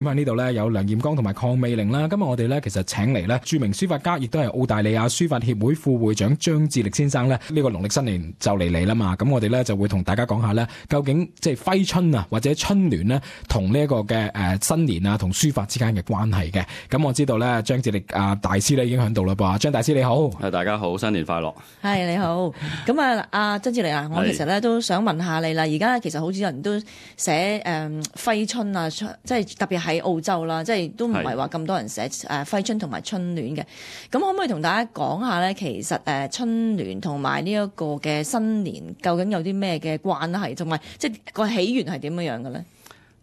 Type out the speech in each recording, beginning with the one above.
咁喺呢度咧有梁彥剛同埋鄺美玲啦。今日我哋咧其實請嚟咧著名書法家，亦都係澳大利亞書法協會副會長張智力先生咧。呢個農曆新年就嚟啦嘛，咁我哋咧就會同大家講下咧，究竟即係揮春啊或者春聯咧，同呢一個嘅新年啊同書法之間嘅關係嘅。咁我知道咧張智力大師咧已經喺度啦噃，張大師你好。大家好，新年快樂。係你好。咁阿張智力啊，我其實咧都想問下你啦。而家其實好少人都寫揮春啊，即係特別喺澳洲啦，即係都唔係話咁多人寫揮春同埋春聯嘅。咁可唔可以同大家講下咧？其實春聯同埋呢一個嘅新年究竟有啲咩嘅關係，同埋即係個起源係點樣樣嘅咧？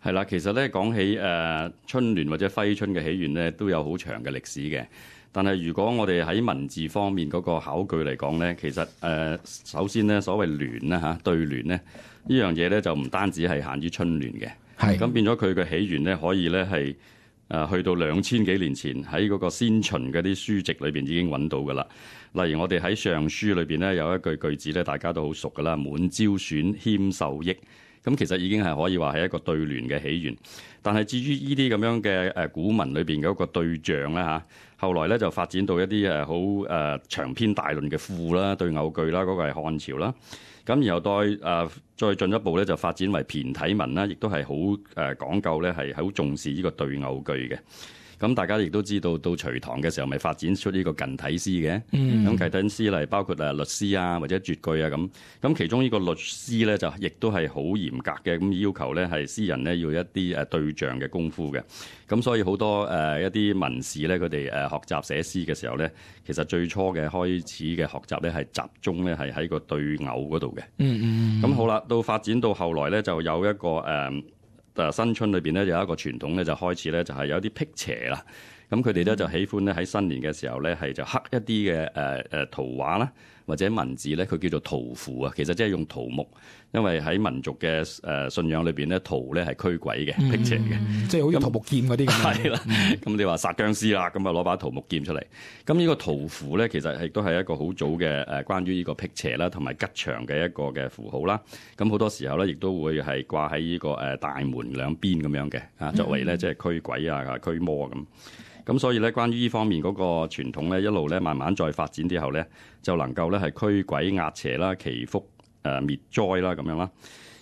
係啦，其實咧講起春聯或者揮春嘅起源咧，都有好長嘅歷史嘅。但係如果我哋喺文字方面嗰個考據嚟講咧，其實首先咧所謂聯啦嚇對聯咧呢樣嘢咧就唔單止係限於春聯嘅。係咁變咗佢嘅起源咧，可以咧係去到2000幾年前喺嗰個先秦嗰啲書籍裏邊已經揾到噶啦。例如我哋喺尚書裏邊咧有一句句子咧，大家都好熟噶啦，滿招損，謙受益。咁其實已經係可以話係一個對聯嘅起源。但係至於呢啲咁樣嘅古文裏邊嘅一個對象咧嚇，後來咧就發展到一啲好長篇大論嘅賦啦、對偶句啦，嗰個係漢朝啦。咁然後再進一步咧就發展為駢體文啦，亦都係好講究咧係好重視呢個對偶句嘅。咁大家亦都知道，到隋唐嘅時候咪發展出呢個近體詩嘅。咁近體詩嚟包括律詩啊或者絕句啊咁。咁其中呢個律詩咧就亦都係好嚴格嘅，咁要求咧係詩人咧要一啲對象嘅功夫嘅。咁所以好多一啲文士咧，佢哋學習寫詩嘅時候咧，其實最初嘅開始嘅學習咧係集中咧係喺個對偶嗰度嘅。咁好啦，到發展到後來咧就有一個新春裏邊咧有一個傳統咧就開始咧就係有啲辟邪啦。咁佢哋咧就喜歡咧喺新年嘅時候咧係就刻一啲嘅圖畫啦或者文字咧，佢叫做圖符啊。其實即係用桃木，因為喺民族嘅信仰裏邊咧，桃咧係驅鬼嘅、辟邪嘅，即係好似桃木劍嗰啲咁。係啦，咁你話殺僵屍啦，咁啊攞把桃木劍出嚟。咁呢個圖符咧，其實亦都係一個好早嘅關於呢個辟邪啦同埋吉祥嘅一個嘅符號啦。咁好多時候咧，亦都會係掛喺呢個大門兩邊咁樣嘅作為咧即係驅鬼啊、驅魔咁。咁所以咧，關於呢方面嗰個傳統咧，一路咧慢慢再發展之後咧，就能夠咧係驅鬼壓邪啦、祈福滅災啦咁樣啦。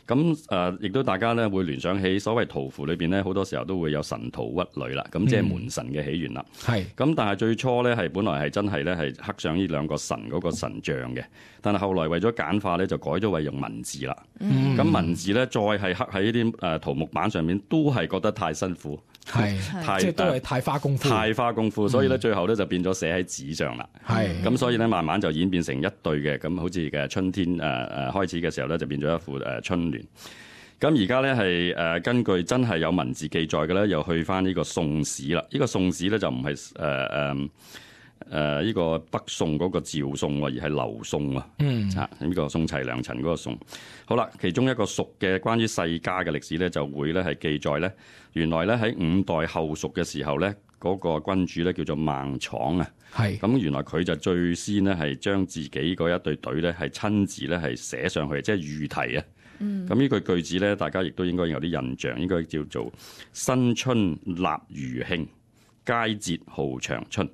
咁亦都大家咧會聯想起所謂圖符裏邊咧，好多時候都會有神荼鬱壘啦，咁即係門神嘅起源啦。係。咁但係最初咧係本來係真係咧係刻上呢兩個神嗰個神像嘅，但係後來為咗簡化咧就改咗為用文字啦。咁文字咧再係刻喺呢啲桃木板上面，都係覺得太辛苦。係，即係都係太花功夫，太花功夫，所以咧最後咧就變咗寫喺紙上啦。係，咁所以咧慢慢就演變成一對嘅，咁好似嘅春天開始嘅時候咧就變咗一副春聯。咁而家咧係根據真係有文字記載嘅咧，又去翻呢個宋史啦。呢個宋史咧就唔係呢個北宋嗰個趙宋，而係劉宋啊。呢個宋齊梁陳嗰個宋。好啦，其中一個蜀嘅關於世家嘅歷史咧，就會咧係記載咧，原來咧喺5代後蜀嘅時候咧，嗰個君主咧叫做孟昶啊。係。咁原來佢就最先咧係將自己嗰一隊隊咧係親自咧係寫上去，即係御題啊。咁呢句句子咧，大家亦都應該有啲印象，應該叫做新春立餘慶，佳節號長春。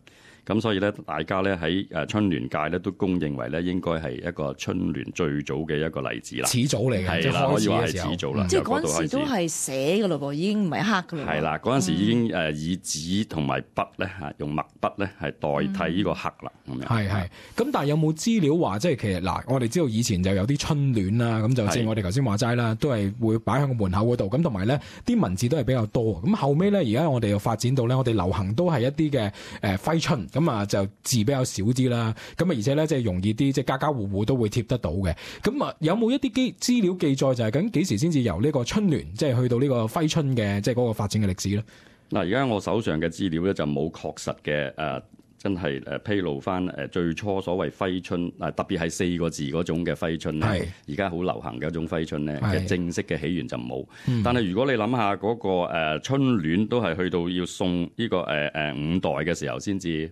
咁所以咧，大家咧喺春聯界咧都公認為咧，應該係一個春聯最早嘅一個例子啦。始祖嚟嘅，係啦，可以話係始祖啦。即係嗰陣時都係寫㗎咯噃，已經唔係刻㗎咯。係啦，嗰陣時已經以紙同埋筆咧用墨筆咧係代替呢個刻啦。咁樣係。咁但係有冇資料話，即係其實嗱，我哋知道以前就有啲春聯啦，咁就正如我哋頭先話齋啦，都係會擺喺個門口嗰度。咁同埋咧，啲文字都係比較多。咁後尾咧，而家我哋又發展到咧，我哋流行都係一啲嘅揮春。咁啊就字比較少啲啦，咁啊而且咧即係容易啲，即係家家戶戶都會貼得到嘅。咁啊有冇一啲資料記載就係究竟幾時先至由呢個春聯即係去到呢個揮春嘅即係嗰個發展嘅歷史咧？嗱，而家我手上嘅資料咧就冇確實嘅真係披露翻最初所謂揮春特別係4個字嗰種嘅揮春咧，而家好流行嘅一種揮春咧嘅正式嘅起源就冇。但係如果你諗下嗰個春聯都係去到要送呢個5代嘅時候先至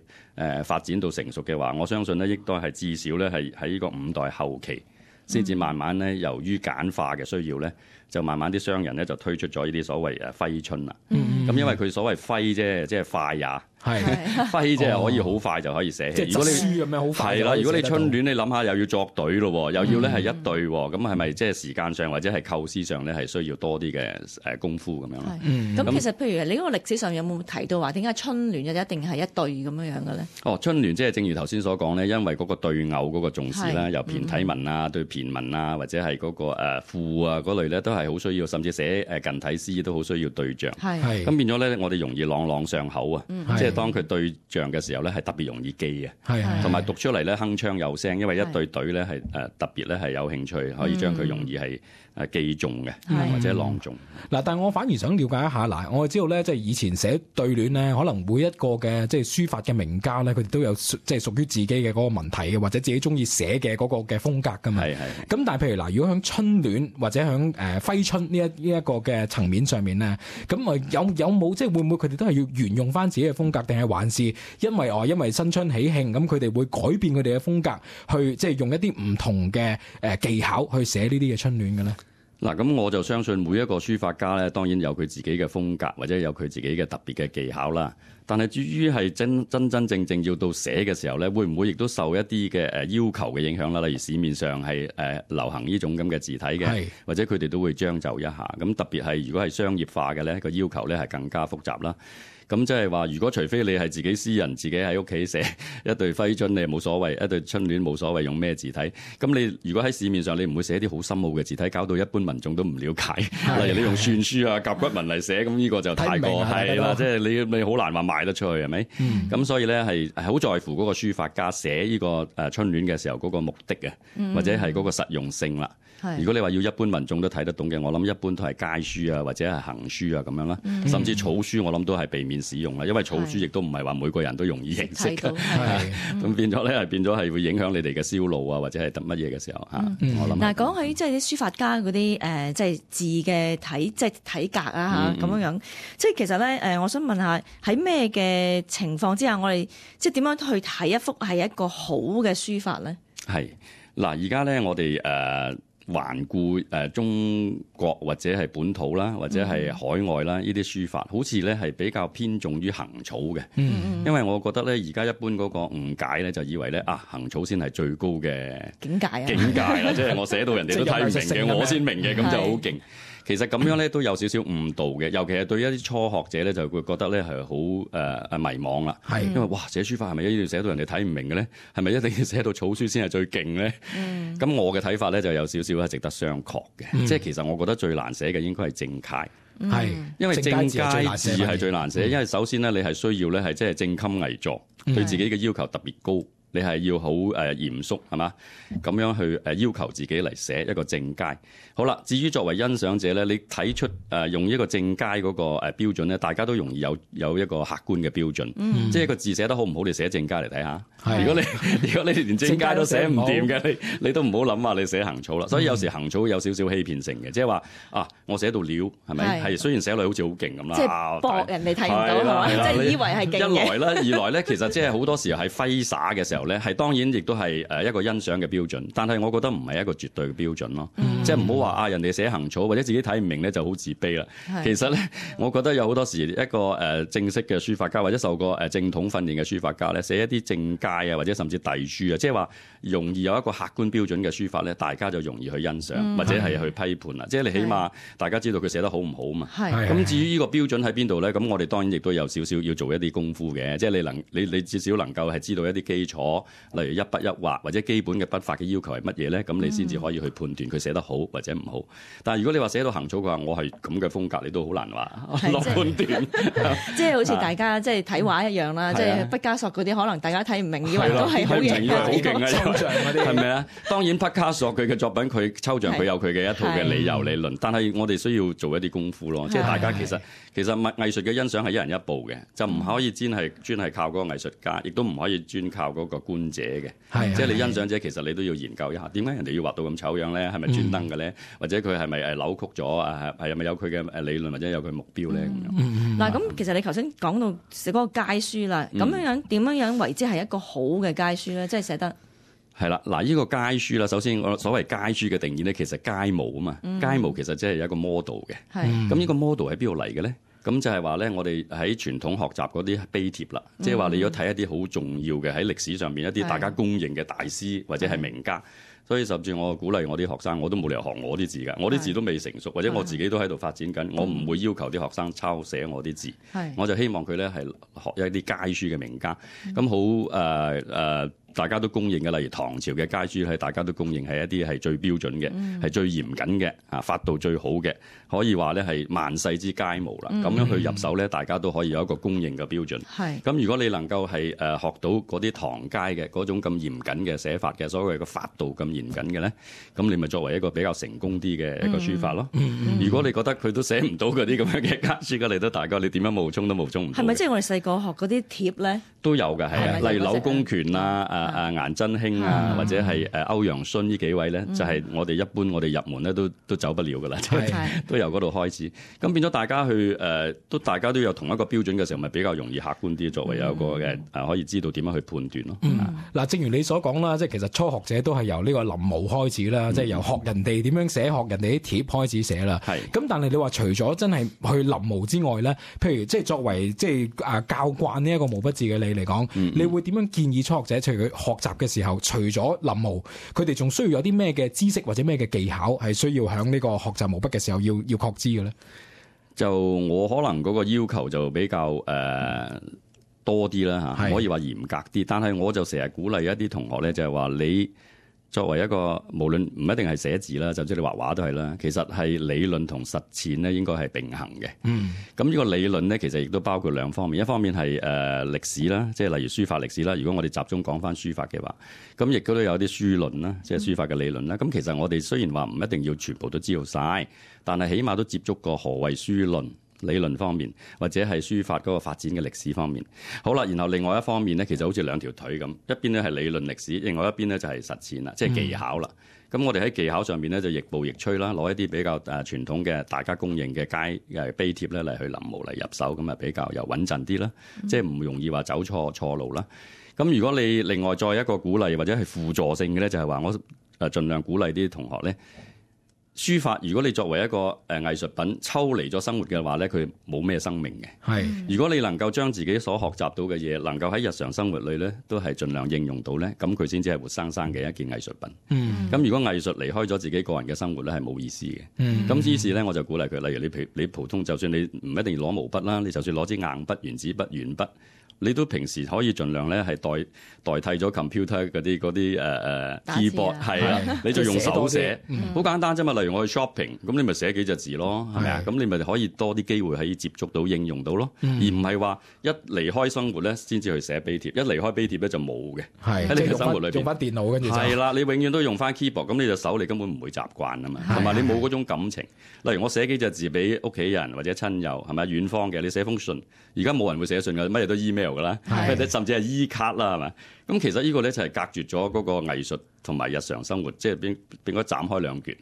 發展到成熟嘅話，我相信咧應該係至少咧係喺呢個5代後期先至慢慢咧由於簡化嘅需要咧，就慢慢啲商人咧就推出咗呢啲所謂揮春啦。咁因為佢所謂揮啫，即係快也。係揮即係可以好快就可以寫起。即係執書咁樣好快。係啦，如果你春聯，你諗下又要作隊咯，又要咧係一隊，咁係咪即係時間上或者係構思上咧係需要多啲嘅功夫咁樣咧？咁其實譬如你嗰個歷史上有冇提到話點解春聯就一定係一隊咁樣嘅咧？春聯即係正如頭先所講咧，因為嗰個對偶嗰個重視啦，由駢體文啊、對駢文啊，或者係嗰個賦啊嗰類咧，都係好需要，甚至寫近體詩都好需要對仗。係咁變咗咧，我哋容易朗朗上口啊！即係當佢對象嘅時候咧，係特別容易記嘅，同埋讀出嚟咧鏗鏘有聲，因為一對隊咧係特別咧係有興趣，可以將佢容易係記中嘅，或者朗誦。嗱，但係我反而想了解一下，嗱，我知道咧，即係以前寫對聯咧，可能每一個嘅即係書法嘅名家咧，佢哋都有即係屬於自己嘅嗰個文體嘅，或者自己中意寫嘅嗰個嘅風格噶嘛。係。咁但係譬如嗱，如果響春聯或者響揮春呢一個嘅層面上面咧，咁啊有冇即係會唔會佢哋都係要沿用翻自己嘅風格，定係還是因為新春喜慶，咁佢哋會改變佢哋嘅風格，去即係用一啲唔同嘅技巧去寫呢啲嘅春聯嘅咧？嗱，咁我就相信每一個書法家咧，當然有佢自己嘅風格，或者有佢自己嘅特別嘅技巧啦。但係至於係真正要到寫嘅時候咧，會唔會亦都受一啲嘅要求嘅影響啦？例如市面上係流行呢種咁嘅字體嘅，或者佢哋都會將就一下。咁特別係如果係商業化嘅咧，個要求咧係更加複雜啦。咁即係話，如果除非你係自己私人自己喺屋企寫一對揮春，你冇所謂；一對春聯冇所謂用咩字體。咁你如果喺市面上，你唔會寫啲好深奧嘅字體，搞到一般民眾都唔了解。例如你用篆書啊、甲骨文嚟寫，咁呢個就太過係啦，即係你好難話賣得出去，係咪？咁所以咧係好在乎嗰個書法家寫呢個春聯嘅時候嗰個目的嘅，或者係嗰個實用性啦。如果你話要一般民眾都睇得懂嘅，我諗一般都係街書啊，或者係行書啊咁樣啦，甚至草書我諗都係避免使用啦，因為草書亦都唔係話每個人都容易認識嘅，咁變咗咧係變咗係會影響你哋嘅銷路啊，或者係得乜嘢嘅時候嚇。我諗嗱，講起即係啲書法家嗰啲即係字嘅體格啊嚇咁樣，即係其實咧我想問下喺咩嘅情況之下，我哋即係點樣去睇一幅係一個好嘅書法咧？係嗱，而家咧我哋環顧中國或者係本土啦，或者係海外啦，呢啲書法好似咧係比較偏重於行草嘅。因為我覺得咧而家一般嗰個誤解咧就以為咧行草先係最高嘅境界啦，即係我寫到人哋都睇唔明嘅，我先明嘅，咁就好勁。其實咁樣咧都有少少誤導嘅，尤其係對一啲初學者咧就會覺得咧係好迷茫啦。因為哇寫書法係咪一定要寫到人哋睇唔明嘅咧？係咪一定要寫到草書先係最勁咧？咁我嘅睇法咧就有少少係值得商榷嘅。即係其實我覺得最難寫嘅應該係正楷，因為正楷字係最難寫，因為首先咧你係需要咧係即係正襟危坐，對自己嘅要求特別高。你係要好嚴肅係嘛？咁樣去要求自己嚟寫一個正楷。好啦，至於作為欣賞者咧，你睇出用一個正楷嗰個標準咧，大家都容易有一個客觀嘅標準。即係個字寫得好唔好，你寫正楷嚟睇下。如果你連正楷都寫唔掂嘅，你都唔好諗話你寫行草啦。所以有時行草有少少欺騙性嘅，即係話我寫到料係咪？係雖然寫落好似好勁咁啦，即係博人哋睇唔到，即係以為係勁嘅。一來啦，二來咧，其實即係好多時候係揮灑嘅時候。係當然亦都係一個欣賞嘅標準，但係我覺得唔係一個絕對嘅標準咯。即係唔好話人哋寫行草或者自己睇唔明咧就好自卑啦。其實咧，我覺得有好多時一個正式嘅書法家或者受過正統訓練嘅書法家咧，寫一啲正楷啊或者甚至隸書啊，即係話容易有一個客觀標準嘅書法咧，大家就容易去欣賞或者係去批判啦。即係你起碼大家知道佢寫得好唔好嘛。咁至於呢個標準喺邊度咧？咁我哋當然亦都有少少要做一啲功夫嘅，即係你至少能夠係知道一啲基礎。例如一筆一畫或者基本嘅筆法嘅要求係乜嘢咧？咁你先至可以去判斷佢寫得好或者唔好。但係如果你話寫到行草嘅話，我係咁嘅風格，你都好難話落判斷。即係好似大家即係睇畫一樣啦，即係畢加索嗰啲可能大家睇唔明，以為都係好嘢嘅抽象嗰啲，係咪啊？當然畢加索佢嘅作品佢抽象佢有佢嘅一套嘅理由理論，但係我哋需要做一啲功夫咯。即係大家其實藝術嘅欣賞係一人一步嘅，就唔可以專係靠嗰個藝術家，亦都唔可以專靠嗰個觀者嘅。即係你欣賞者，其實你都要研究一下，點解人哋要畫到咁醜樣咧？係咪專登嘅咧？或者佢係咪扭曲咗？係咪有佢嘅理論或者有佢目標咧？嗱，咁其實你頭先講到寫嗰個楷書啦，咁樣點樣為之係一個好嘅楷書咧？即係寫得係啦，嗱，呢個楷書啦，首先我所謂楷書嘅定義咧，其實楷模啊嘛，楷模其實即係有一個 model 嘅。咁呢個 model 喺邊度嚟嘅咧？咁就係話咧，我哋喺傳統學習嗰啲碑帖啦，即係話你要睇一啲好重要嘅喺歷史上邊一啲大家公認嘅大師或者係名家。所以甚至我鼓勵我啲學生，我都冇理由學我啲字㗎，我啲字都未成熟，或者我自己都喺度發展緊，我唔會要求啲學生抄寫我啲字，我就希望佢咧係學一啲楷書嘅名家，咁好大家都公認嘅，例如唐朝嘅楷書係大家都公認係一啲係最標準嘅，係最嚴謹嘅，法度最好嘅，可以話咧係萬世之楷模啦。咁樣去入手咧，大家都可以有一個公認嘅標準。咁如果你能夠係學到嗰啲唐楷嘅嗰種咁嚴謹嘅寫法嘅，所謂嘅法度咁嚴謹嘅咧，咁你咪作為一個比較成功啲嘅一個書法咯。如果你覺得佢都寫唔到嗰啲咁樣嘅楷書嘅，你都大家你點樣冒充都冒充唔到。係咪即係我哋細個學嗰啲帖咧？都有嘅，係啊，例如柳公權啊、顏真卿啊，或者係歐陽詢呢幾位咧，就係我哋一般我哋入門咧都走不了噶啦，都由嗰度開始。咁變咗大家去大家都有同一個標準嘅時候，咪比較容易客觀啲，作為有一個嘅可以知道點樣去判斷咯。嗱，正如你所講啦，即係其實初學者都係由呢個臨摹開始啦，即係由學人哋點樣寫，學人哋啲帖開始寫啦。咁但係你話除咗真係去臨摹之外咧，譬如即係作為即係教慣呢一個毛筆字嘅你嚟講，你會點樣建議初學者，除佢學習嘅時候，除咗臨摹，佢哋仲需要有啲咩嘅知識或者咩嘅技巧係需要喺呢個學習毛筆嘅時候要確知嘅咧？就我可能嗰個要求就比較多啲啦嚇，可以話嚴格啲。但係我就成日鼓勵一啲同學咧，就係話你作為一個無論唔一定係寫字啦，就即係你畫畫都係啦，其實係理論同實踐咧應該係並行嘅。咁呢個理論咧其實亦都包括兩方面，一方面係歷史啦，即係例如書法歷史啦。如果我哋集中講翻書法嘅話，咁亦都有啲書論啦，即係書法嘅理論啦。咁其實我哋雖然話唔一定要全部都知道晒，但係起碼都接觸過何謂書論。理論方面，或者係書法嗰個發展嘅歷史方面，好啦。然後另外一方面咧，其實好似兩條腿咁，一邊咧係理論歷史，另外一邊咧就係實踐啦，即係技巧啦。咁我哋喺技巧上面咧就亦步亦趨啦，攞一啲比較傳統嘅大家公認嘅碑帖咧嚟去臨摹嚟入手，咁啊比較又穩陣啲啦，即係唔容易話走錯路啦。咁如果你另外再一個鼓勵或者係輔助性嘅咧，就係話我盡量鼓勵啲同學咧。書法如果你作為一個藝術品抽離咗生活嘅話咧，佢冇咩生命嘅。如果你能夠將自己所學習到嘅嘢，能夠喺日常生活裏咧，都係盡量應用到咧，咁佢先至係活生生嘅一件藝術品。咁如果藝術離開咗自己個人嘅生活咧，係冇意思嘅。咁於是咧，我就鼓勵佢，例如你普通，就算你唔一定要攞毛筆啦，你就算攞支硬筆、原子筆、鉛筆。你都平時可以盡量咧係代替咗 computer 嗰啲keyboard 係啦，你就用手寫，好簡單啫嘛。例如我去 shopping，咁你咪寫幾隻字咯，係咪啊？咁你咪可以多啲機會可以接觸到、應用到咯，而唔係話一離開生活咧先至去寫碑帖，一離開碑帖咧就冇嘅。喺你嘅生活裏邊用翻電腦跟住係啦，你永遠都用翻 keyboard，咁你隻手你根本唔會習慣啊嘛，同埋你冇嗰種感情。例如我寫幾隻字俾屋企人或者親友，係咪遠方嘅？你寫封信，而家冇人會寫信㗎，乜嘢都 email 㗎啦，甚至係 e 卡啦，係咪？咁其實呢個咧就係隔絕咗嗰個藝術同埋日常生活，即係變咗斬開兩橛。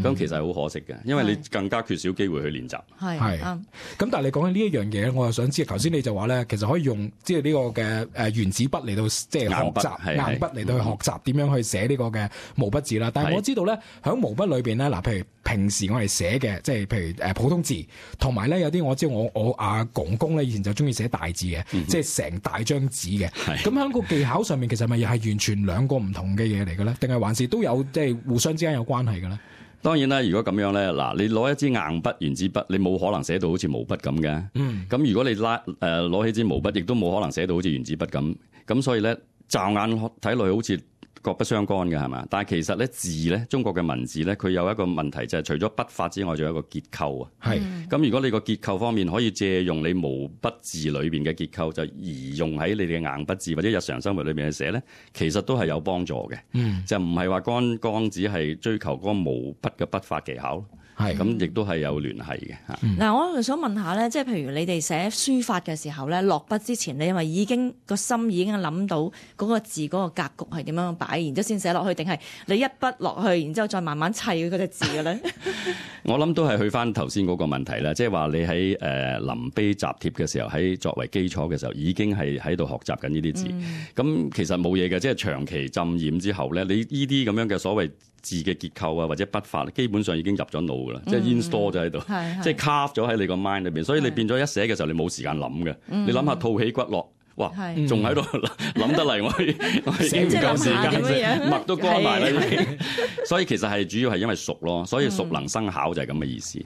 咁其實係好可惜嘅，因為你更加缺少機會去練習。係咁但係你講緊呢一樣嘢，我又想知，頭先你就話咧，其實可以用即係呢個嘅原子筆嚟到即係學習硬筆嚟到去學習點樣去寫呢個嘅毛筆字啦。但係我知道咧，喺毛筆裏邊咧，嗱，譬如平時我哋寫嘅，即係譬如普通字，同埋咧有啲我知道我阿公公咧以前就中意寫大字嘅，即係成大張紙嘅。咁喺個技巧上面，其實咪又係完全兩個唔同嘅嘢嚟嘅咧？定係還是都有即係互相之間有關係嘅咧？當然啦，如果咁樣咧，嗱，你攞一支硬筆、原子筆，你冇可能寫到好似毛筆咁嘅。咁如果你攞起支毛筆，亦都冇可能寫到好似原子筆咁。咁所以咧，驟眼睇落去好似各不相干嘅，係嘛？但係其實咧，字咧，中國嘅文字咧，佢有一個問題就係除咗筆法之外，仲有一個結構啊。咁如果你個結構方面可以借用你毛筆字裏邊嘅結構，就移用喺你哋嘅硬筆字或者日常生活裏邊去寫咧，其實都係有幫助嘅。就唔係話剛只係追求嗰個毛筆嘅筆法技巧。咁亦都係有聯繫嘅嚇。嗱，我就想問下咧，即係譬如你哋寫書法嘅時候咧，落筆之前，你因為已經個心已經諗到嗰個字嗰個格局係點樣擺，然之後先寫落去，定係你一筆落去，然之後再慢慢砌嗰隻字嘅咧？我諗都係去翻頭先嗰個問題啦，即係話你喺臨碑集帖嘅時候，喺作為基礎嘅時候，已經係喺度學習緊呢啲字。咁其實冇嘢嘅，即係長期浸染之後咧，你呢啲咁樣嘅所謂字嘅結構啊，或者筆法，基本上已經入咗腦噶啦，即係 install 咗喺度，即係 carve 咗喺你個 mind 裏邊，所以你變咗一寫嘅時候，你冇時間諗嘅。你諗下吐起骨落，哇，仲喺度諗得嚟，我已經唔夠時間，墨都乾埋啦已經。所以其實係主要係因為熟咯，所以熟能生巧就係咁嘅意思。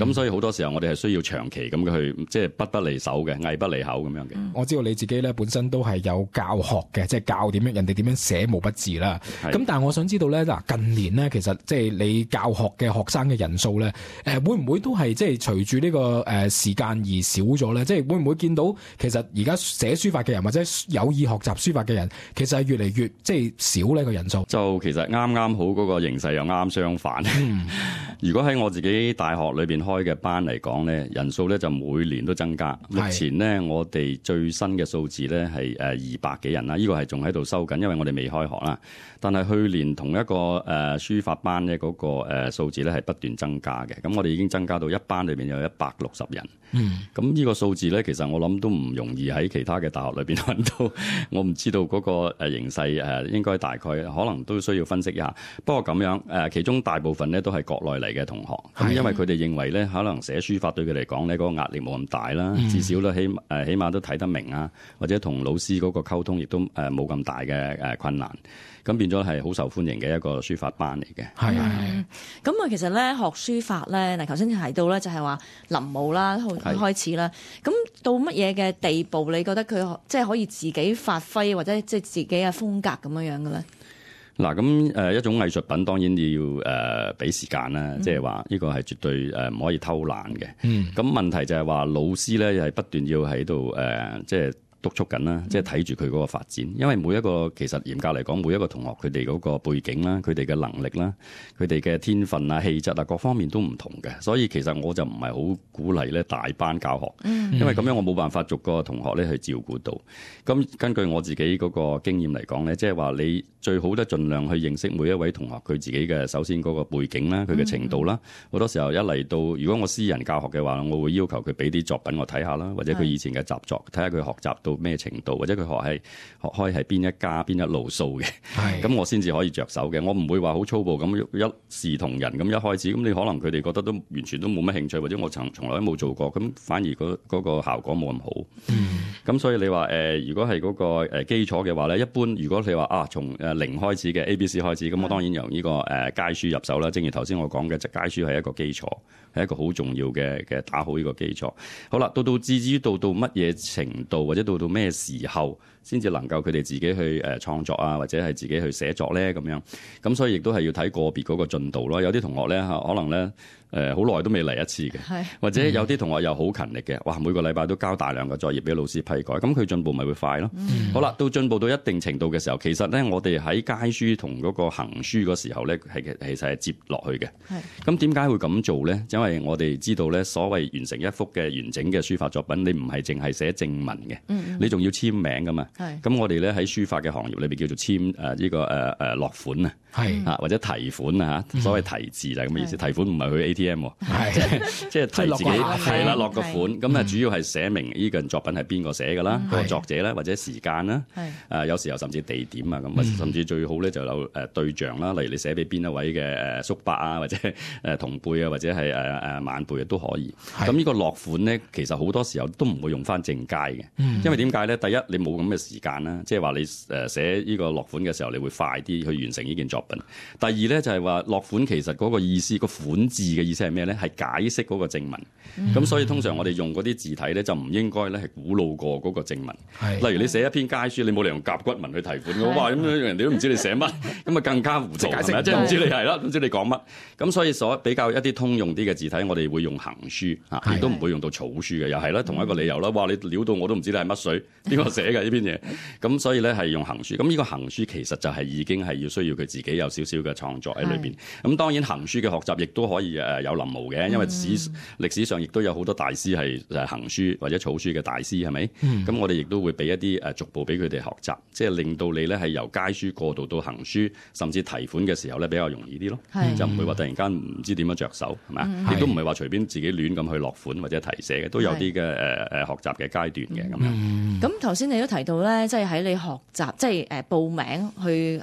咁所以好多時候我哋係需要長期咁去，即係筆不離手嘅，藝不離口咁樣嘅。我知道你自己咧本身都係有教學嘅，即係教點樣人哋點樣寫毛筆字啦。咁但係我想知道咧，嗱近年咧，其實即係你教學嘅學生嘅人數咧，會唔會都係即係隨住呢個時間而少咗咧？即係會唔會見到其實而家寫書法嘅人或者有意學習書法嘅人，其實係越嚟越即係少呢個人數？就其實啱啱好嗰個形勢又啱相反。如果喺我自己大學裏邊開嘅班嚟講咧，人數咧就每年都增加。目前咧我哋最新嘅數字咧係200幾人啦，呢個係仲喺度收緊，因為我哋未開學啦。但係去年同一個書法班咧嗰個數字咧係不斷增加嘅。咁我哋已經增加到一班裏邊有160人。咁呢個數字咧，其實我諗都唔容易喺其他嘅大學裏邊揾到。我唔知道嗰個形勢應該大概可能都需要分析一下。不過咁樣其中大部分咧都係國內嚟嘅同學。咁因為佢哋認為咧，可能寫書法對佢嚟講咧嗰個壓力冇咁大啦，至少咧起碼都睇得明啊，或者同老師嗰個溝通亦都冇咁大嘅困難。咁變咗係好受歡迎嘅一個書法班嚟嘅。咁啊，其實咧學書法咧，嗱頭先提到咧就係話臨摹啦開始啦。咁到乜嘢嘅地步，你覺得佢即係可以自己發揮或者即係自己嘅風格咁樣嘅咧？嗱，咁一種藝術品當然要俾時間啦，即係話呢個係絕對唔可以偷懶嘅。咁問題就係話老師咧係不斷要喺度即係督促緊啦，即係睇住佢嗰個發展，因為每一個其實嚴格嚟講，每一個同學佢哋嗰個背景啦，佢哋嘅能力啦，佢哋嘅天分啊、氣質啊，各方面都唔同嘅，所以其實我就唔係好鼓勵咧大班教學，因為咁樣我冇辦法逐個同學咧去照顧到。咁根據我自己嗰個經驗嚟講咧，即係話你最好咧盡量去認識每一位同學佢自己嘅首先嗰個背景啦，佢嘅程度啦。好多時候一嚟到，如果我私人教學嘅話，我會要求佢俾啲作品我睇下啦，或者佢以前嘅習作，睇下佢學習到咩程度，或者佢學開係邊一家邊一路數嘅，咁我先至可以着手嘅。我唔會話好粗暴咁一視同仁咁一開始，咁你可能佢哋覺得都完全都冇乜興趣，或者我從來都冇做過，咁反而嗰個效果冇咁好。咁所以你話如果係嗰個基礎嘅話咧，一般如果你話從零開始嘅 ABC 開始，咁我當然由呢個楷書入手啦。正如頭先我講嘅，楷書係一個基礎，係一個好重要嘅打好呢個基礎。好啦，至於到乜嘢程度，或者到咩時候先至能夠佢哋自己去創作啊，或者係自己去寫作咧咁樣。咁所以亦都係要睇個別嗰個進度咯。有啲同學咧可能咧好耐都未嚟一次嘅，或者有啲同學又好勤力嘅，哇每個禮拜都交大量嘅作業俾老師批改，咁佢進步咪會快咯。好啦，到進步到一定程度嘅時候，其實咧我哋喺楷書同嗰個行書嗰時候咧其實係接落去嘅。咁點解會咁做咧？因為我哋知道咧，所謂完成一幅嘅完整嘅書法作品，你唔係淨係寫正文嘅，你仲要簽名噶嘛。咁我哋咧喺書法嘅行業裏邊叫做簽呢個落款啊，或者提款啊，所謂提字就係咁嘅意思。提款唔係去 ATM，即係提自己係啦，落個款。咁主要係寫明呢個作品係邊個寫噶啦，個作者咧或者時間啦，有時候甚至地點啊咁，甚至最好咧就有對象啦，例如你寫俾邊一位嘅叔伯啊，或者同輩啊，或者係晚輩啊都可以。咁呢個落款咧，其實好多時候都唔會用翻正楷嘅，因為點解咧？第一你冇咁嘅時間啦，即係話你寫呢個落款嘅時候，你會快啲去完成呢件作品。第二咧就係話落款其實嗰個意思，個款字嘅意思係咩咧？係解釋嗰個正文。咁所以通常我哋用嗰啲字體咧，就唔應該咧係古老過嗰個正文。例如你寫一篇楷書，你冇理由用甲骨文去提款嘅，哇！咁人哋都唔知你寫乜，咁啊更加糊塗係咪？即係唔知你係啦，唔知你講乜。咁所以比較一啲通用啲嘅字體，我哋會用行書亦都唔會用到草書嘅，又係啦，同一個理由啦。哇！你料到我都唔知你係乜水，邊個寫嘅呢篇嘢？咁所以咧係用行書。咁呢個行書其實就係已經係要需要佢自己有少少嘅創作喺裏邊。咁當然行書嘅學習亦都可以有臨摹嘅，因為歷史上亦都有好多大師係行書或者草書嘅大師，係咪？咁我哋亦都會俾一啲逐步俾佢哋學習，即係令到你咧係由楷書過渡到行書，甚至提款嘅時候咧比較容易啲咯，就唔會話突然間唔知點樣着手，係咪？亦都唔係話隨便自己亂咁去落款或者提寫嘅，都有啲嘅學習嘅階段嘅咁樣。咁頭先你都提到咧，即係喺你學習，即係報名去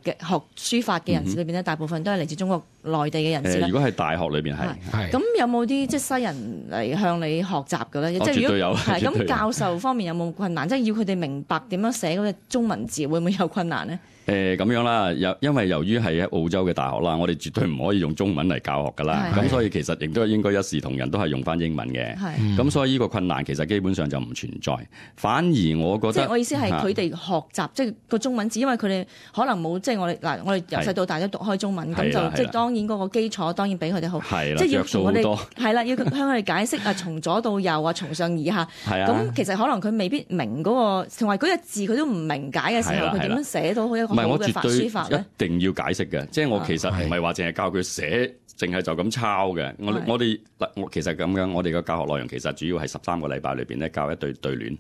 嘅學書法嘅人士裏邊咧，大部分都係嚟自中國內地嘅人士。如果係大學裏邊係，咁有冇啲即係西人嚟向你學習嘅咧？即係如果係咁，教授方面有冇困難？即係要佢哋明白點樣寫嗰隻中文字，會唔會有困難咧？咁樣啦，因為由於係喺澳洲嘅大學啦，我哋絕對唔可以用中文嚟教學噶啦，咁所以其實亦都應該一視同仁，都係用翻英文嘅。咁所以呢個困難其實基本上就唔存在，反而我覺得，即係我意思係佢哋學習即係個中文字，因為佢哋可能冇即係我哋由細到大都讀開中文，咁就即係當然嗰個基礎當然比佢哋好，即係要同我哋係啦，要向佢哋解釋從左到右從上而下，咁其實可能佢未必明嗰個，同埋嗰隻字佢都唔明解嘅時候，佢點樣寫到好一個？唔係，我絕對一定要解釋嘅，即係我其實唔係話淨係教佢寫，淨係就咁抄嘅。我其實咁樣，我哋嘅教學內容其實主要係13個禮拜裏邊咧教一對對聯，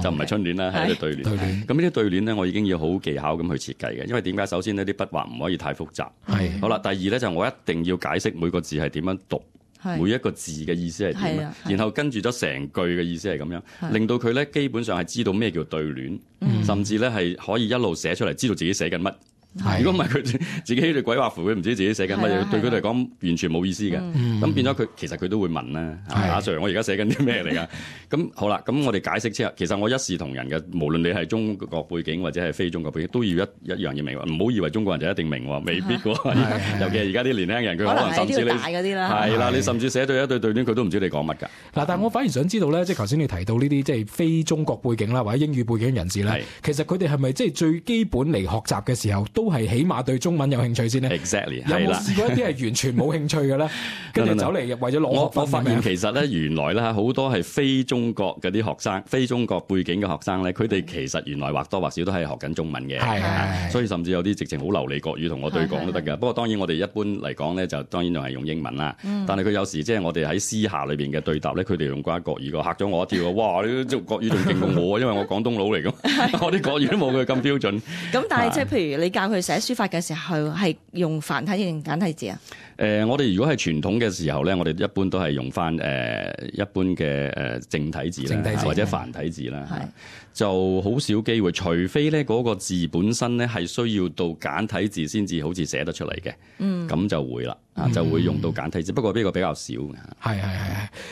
就唔係春聯啦，係一對對聯。咁呢啲對聯咧，我已經要好技巧咁去設計嘅，因為點解？首先呢啲筆畫唔可以太複雜。好啦，第二咧就我一定要解釋每個字係點樣讀。每一個字嘅意思係點，然後跟住咗成句嘅意思係咁樣，令到佢咧基本上係知道咩叫對聯，甚至咧係可以一路寫出嚟，知道自己寫緊乜。如果唔係佢自己喺度鬼畫符，佢唔知自己寫緊乜嘢，對佢嚟講完全冇意思嘅。咁變咗佢其實佢都會問啦，阿 Sir，我而家寫緊啲咩嚟㗎？咁好啦，咁我哋解釋之後，其實我一視同仁嘅，無論你係中國背景或者係非中國背景，都要一樣要明。唔好以為中國人就一定明喎，未必喎。尤其係而家啲年輕人，佢可能甚至你係啦，你甚至寫對一對對聯，佢都唔知你講乜㗎。嗱，但係我反而想知道咧，即係頭先你提到呢啲即係非中國背景啦，或者英語背景人士咧，其實佢哋係咪即係最基本嚟學習嘅時候，都係起碼對中文有興趣先呢？ Exactly， 有冇試過一啲係完全冇興趣嘅咧？跟住走嚟為咗攞學分。我發現其實咧，原來咧好多係非中國嗰啲學生、非中國背景嘅學生咧，佢哋其實原來或多或少都係學緊中文嘅。所以甚至有啲直情好流利國語同我對講都得㗎。不過當然我哋一般嚟講咧，就當然仲係用英文啦。但係佢有時即係我哋喺私下裏邊嘅對答咧，佢哋用關國語，嚇咗我一跳。哇！你做國語仲勁過我，因為我廣東佬嚟㗎，我啲國語都冇佢咁標準。咁但係即係譬如你教佢寫書法嘅時候，係用繁體字定簡體字啊？我哋如果係傳統嘅時候咧，我哋一般都係用翻一般嘅正體字啦，或者繁體字啦，就好少機會，除非咧嗰個字本身咧係需要到簡體字先至好似寫得出嚟嘅，咁就會啦。就會用到簡體字，不過呢個比較少嘅。係。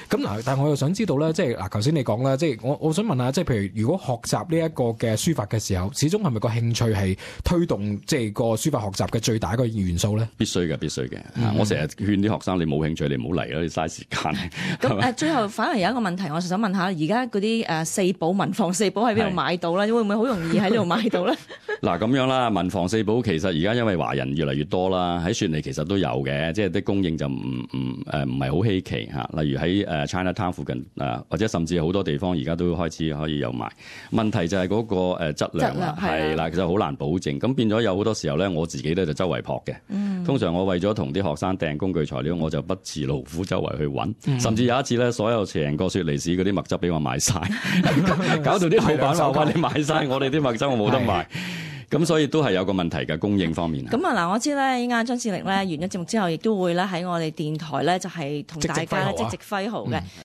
咁嗱，但係我又想知道咧，即係嗱，頭先你講啦，即係我想問下，即係譬如如果學習呢一個嘅書法嘅時候，始終係咪個興趣係推動即係個書法學習嘅最大一個元素咧？必須嘅。我成日勸啲學生，你冇興趣，你唔好嚟啦，你嘥時間。咁最後反而有一個問題，我想問下，而家嗰啲四寶文房四寶喺邊度買到咧？會唔會好容易喺呢度買到咧？嗱，咁樣啦，文房四寶其實而家因為華人越嚟越多啦，喺雪梨其實都有嘅。即係啲供應就唔係好稀奇嚇，例如喺Chinatown 附近或者甚至好多地方而家都開始可以有賣。問題就係嗰個質量啦，係啦，其實好難保證。咁變咗有好多時候咧，我自己咧就周圍撲嘅。通常我為咗同啲學生訂工具材料，我就不辭勞苦周圍去揾。甚至有一次咧，所有成個雪梨市嗰啲墨汁俾我賣晒，搞到啲老闆話：你賣晒我哋啲墨汁，我冇得賣。咁所以都係有個問題嘅供應方面。咁啊嗱，我知咧，依家張志力咧完咗節目之後，亦都會咧喺我哋電台咧就係同大家咧即席揮毫嘅。